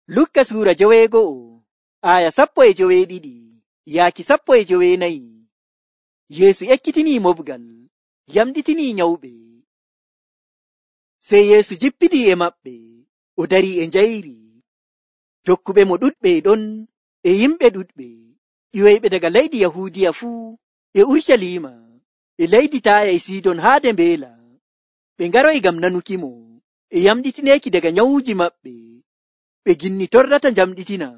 Lukka suura 12 yaaki 14. Yeesu ekkitinii mobgal, yamɗitinii nyawɓe. Sey Yeesu jippidii e maɓɓe, o darii e njayri. Tokkuɓe mo ɗuɗɓe ɗon e yimɓe ɗuɗɓe, ƴiwoyɓe daga leydi Yahuudiya fuu, e Urucaliima, e leydi Taaya e Sidon haade mbeela. Ɓe ngaroyi ngam nanukimo, e yamɗitineeki daga nyawuuji maɓɓe. Ɓe ginni torrata njamɗitina.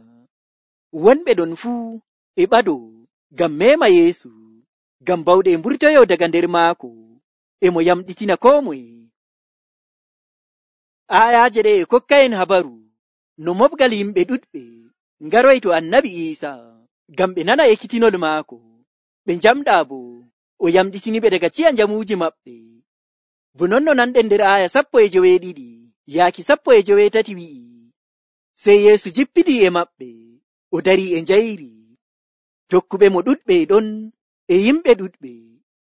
Wonɓe ɗon fuu e ɓadoo ngam meema Yeesu, ngam bawɗe e mburtoyoo daga nder maako, e mo yamɗitina koo moye. Aayaaje ɗe e kokka'en habaru no mobgal yimɓe ɗuɗɓe ngaroyi to Annabi Iisaa ngam ɓe nana ekkitinol maako. Ɓe njamɗaa boo o yamɗitiniɓe daga ciya njamuuji maɓɓe. Bo non no nanɗen nder aaya 12 yaaki 13 wi'i, sey Yeesu jippidii e maɓɓe, o darii e njayri. Tokkuɓe mo ɗuɗɓe ɗon e yimɓe ɗuɗɓe,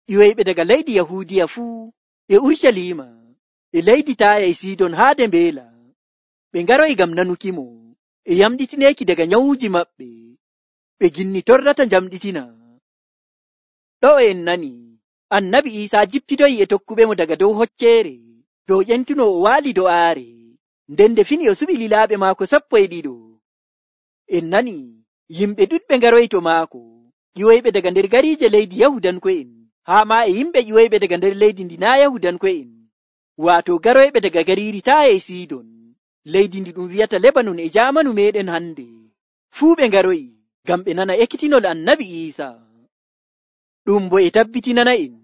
ƴiwoyɓe daga leydi Yahuudiya fuu, e Urucaliima, e leydi Taaya e Sidon haade mbeela. Ɓe ngaroyi ngam nanukimo, e yamɗitineeki daga nyawuuji maɓɓe. Ɓe ginni torrata njamɗitina. Ɗo en nani Annabi Iisaa jippidoyi e tokkuɓe mo daga dow hocceere, dow ƴentuno o waali do'aare, nden nde fini o suɓi lilaaɓe maako 12. En nani yimɓe ɗuɗɓe ngaroyi to maako, ƴiwoyɓe daga nder gariije leydi Yahudanko'en, haa maa e yimɓe ƴiwoyɓe daga nder leydi ndi naa Yahudanko'en, waato garoyɓe daga gariiri Taaya e Sidon, leydi ndi ɗum wi'ata Lebanon e jaamanu meeɗen hande. Fuu ɓe ngaroyi ngam ɓe nana ekkitinol Annabi Iisaa. Ɗum bo e tabbitinana'en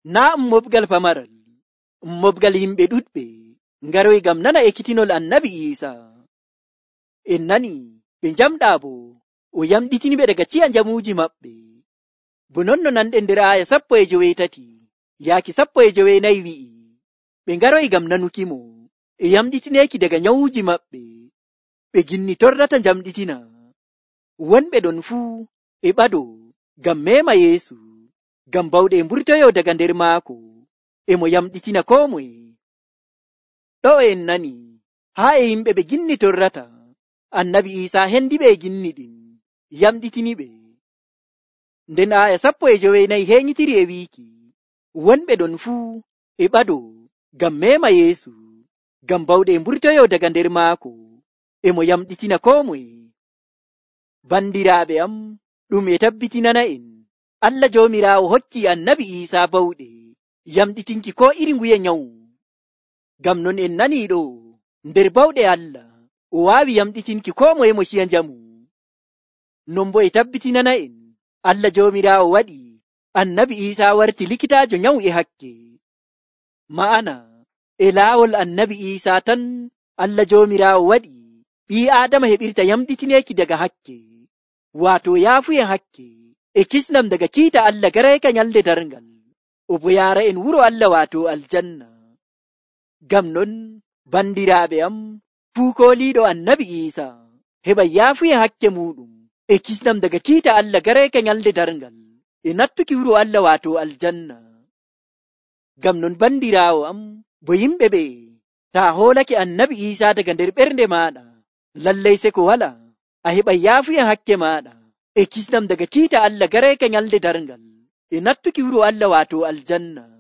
naa mobgal pamaral, mobgal yimɓe ɗuɗɓe ngaroyi ngam nana ekkitinol Annabi Iisaa. En nani ɓe njamɗaa bo o yamɗitiniɓe daga ciya njamuuji maɓɓe. Bo non no nanɗen nder aaya 13 yaaki 14 wi'i, ɓe ngaroyi ngam nanukimo, e yamɗitineeki daga nyawuuji maɓɓe. Ɓe ginni torrata njamɗitina. Wonɓe ɗon fuu e ɓadoo ngam meema Yeesu, ngam bawɗe e mburtoyoo daga nder maako, e mo yamɗitina koo moye. Ɗo en nani haa e yimɓe ɓe ginni torrata, Annabi Iisaa hendiɓe e ginni ɗin, yamɗitiniɓe. Nden aaya 14 heeñitiri e wiiki, wonɓe ɗon fuu e ɓadoo ngam meema Yeesu, ngam bawɗe e mburtoyoo daga nder maako, e mo yamɗitina koo moye. Bandiraaɓe am, ɗum e tabbitinana'en Allah Joomiraawo hokkii Annabi Iisaa bawɗe yamɗitinki koo iri nguye nyawu. Ngam non en nanii ɗo nder bawɗe Allah o waawi yamɗitinki koo moye mo ciya njamu. Non bo e tabbitinana'en Allah Joomiraawo waɗi Annabi Iisaa warti likitaajo nyawu e hakke. Ma'ana e laawol Annabi Iisaa tan Allah Joomiraawo waɗi ɓii Aadama heɓirta yamɗitineeki daga hakke, waato yaafuyen hakke e kisnam daga kiita Allah garayka nyalde darngal, o bo yaara en wuro Allah waato aljanna. Ngam non bandiraaɓe am, fuu kooliiɗo Annabi Iisaa heɓa yaafuyen hakke muɗum e kisnam daga kiita Allah garayka nyalde darngal, e nattuki wuro Allah waato aljanna. Ngam non bandiraawo am, bo yimɓe ɓe taa hoolake Annabi Iisaa daga nder ɓernde maaɗa, lallay se ko wala a heɓa yaafuyen hakke maaɗa e kisnam daga kiita Allah garayka nyalde darngal, e nattuki wuro Allah waato aljanna.